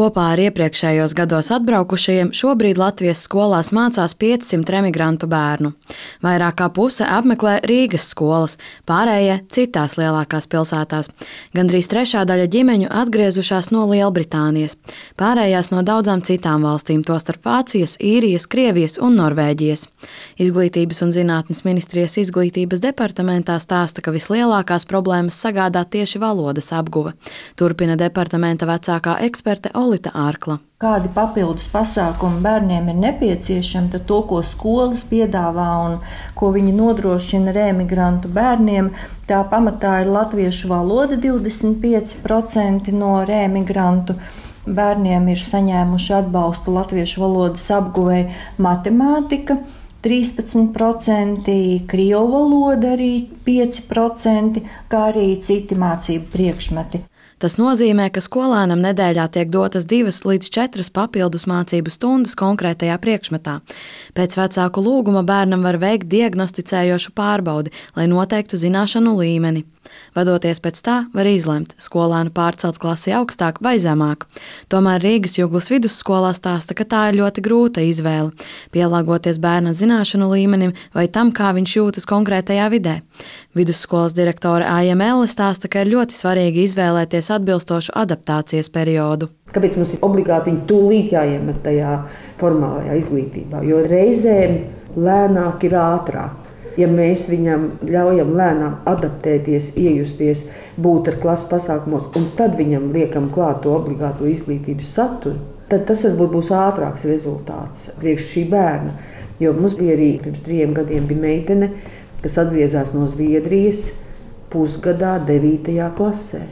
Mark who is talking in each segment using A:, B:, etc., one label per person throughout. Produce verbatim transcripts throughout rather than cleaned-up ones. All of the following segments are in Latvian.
A: Kopā ar iepriekšējos gados atbraukušajiem šobrīd Latvijas skolās mācās piecsimt remigrantu bērnu. Vairāk kā puse apmeklē Rīgas skolas, pārējie citās lielākās pilsētās. Gandrīz trešā daļa ģimeņu atgriezušās no Lielbritānijas, pārējās no daudzām citām valstīm, tostarp Vācijas, Īrijas, Krievijas un Norvēģijas. Izglītības un zinātnes ministrijas izglītības departamentā stāsta, ka vislielākās problēmas sagādā tieši valodas apguve. Turpina departamenta vecākā eksperte Olita Ārkla.
B: Kādi papildus pasākumi bērniem ir nepieciešami, tad to, ko skolas piedāvā un ko viņi nodrošina remigrantu bērniem, tā pamatā ir latviešu valoda. divdesmit pieci procenti no remigrantu bērniem ir saņēmuši atbalstu latviešu valodas apguvei, matemātika trīspadsmit procenti, krievu valoda arī pieci procenti, kā arī citi mācību priekšmeti.
A: Tas nozīmē, ka skolēnam nedēļā tiek dotas divas līdz četras papildus mācību stundas konkrētajā priekšmetā. Pēc vecāku lūguma bērnam var veikt diagnosticējošu pārbaudi, lai noteiktu zināšanu līmeni. Vadoties pēc tā, var izlemt skolēnu pārcelt klasi augstāk vai zemāk. Tomēr Rīgas Juglas vidusskolā stāsta, ka tā ir ļoti grūta izvēle, pielāgoties bērna zināšanu līmenim vai tam, kā viņš jūtas konkrētajā vidē. Vidusskolas direktore Aija Melle stāsta, ka ir ļoti svarīgi izvēlēties atbilstošu adaptācijas periodu.
C: Kāpēc mums ir obligāti viņi tūlīt jāiemet tajā formālajā izglītībā? Jo reizēm lēnāk ir ātrāk. Ja mēs viņam ļaujam lēnām adaptēties, iejusties, būt ar klases pasākumos, un tad viņam liekam klāt to obligāto izglītības saturu, tad tas varbūt būs ātrāks rezultāts priekš šī bērna. Jo mums bija arī pirms trījiem gadiem bija meitene, kas atgriezās no Zviedrijas pusgadā devītajā klasē.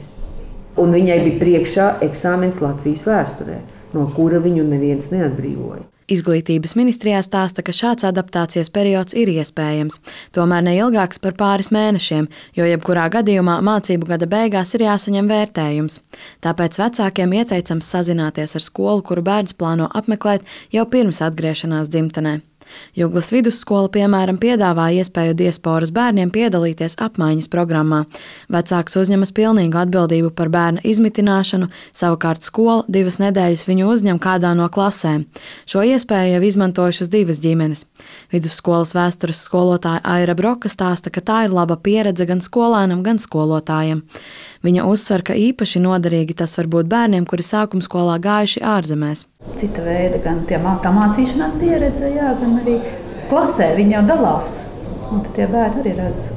C: Un viņai bija priekšā eksāmens Latvijas vēsturē, no kura viņu neviens neatbrīvoja.
A: Izglītības ministrijā stāsta, ka šāds adaptācijas periods ir iespējams, tomēr ne ilgāks par pāris mēnešiem, jo jebkurā gadījumā mācību gada beigās ir jāsaņem vērtējums. Tāpēc vecākiem ieteicams sazināties ar skolu, kuru bērns plāno apmeklēt jau pirms atgriešanās dzimtenē. Juglas vidusskola, piemēram, piedāvā iespēju diasporas bērniem piedalīties apmaiņas programmā. Vecāks uzņemas pilnīgu atbildību par bērna izmitināšanu, savukārt skola divas nedēļas viņu uzņem kādā no klasēm. Šo iespēju jau izmantojušas divas ģimenes. Vidusskolas vēstures skolotāja Aira Broka stāsta, ka tā ir laba pieredze gan skolēnam, gan skolotājiem. Viņa uzsver, ka īpaši noderīgi tas var būt bērniem, kuri sākumskolā gājuši ārzemēs.
D: Cita veida gan tie, tā mācīšanās pieredze, jā, gan arī klasē viņi jau dalās. Un tie bērni arī redz,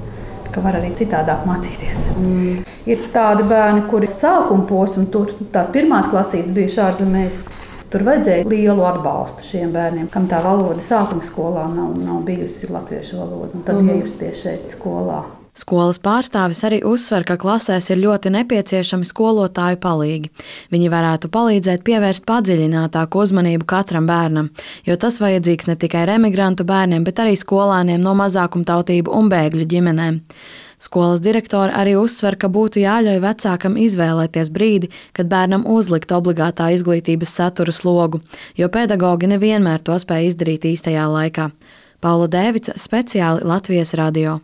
D: ka var arī citādāk mācīties. Mm. Ir tādi bērni, kuri sākuma posmu, tur tās pirmās klasītes bijuši ārzemēs, tur vajadzēja lielu atbalstu šiem bērniem, kam tā valoda sākuma skolā nav, nav bijusi latviešu valoda, un tad mm. iejusties šeit skolā.
A: Skolas pārstāvis arī uzsver, ka klasēs ir ļoti nepieciešami skolotāju palīgi. Viņi varētu palīdzēt pievērst padziļinātāku uzmanību katram bērnam, jo tas vajadzīgs ne tikai remigrantu bērniem, bet arī skolēniem no mazākumtautību un bēgļu ģimenēm. Skolas direktore arī uzsver, ka būtu jāļauj vecākam izvēlēties brīdi, kad bērnam uzlikt obligātā izglītības satura slogu, jo pedagogi nevienmēr to spēj izdarīt īstajā laikā. Paula Dēvica, speciāli Latvijas radio.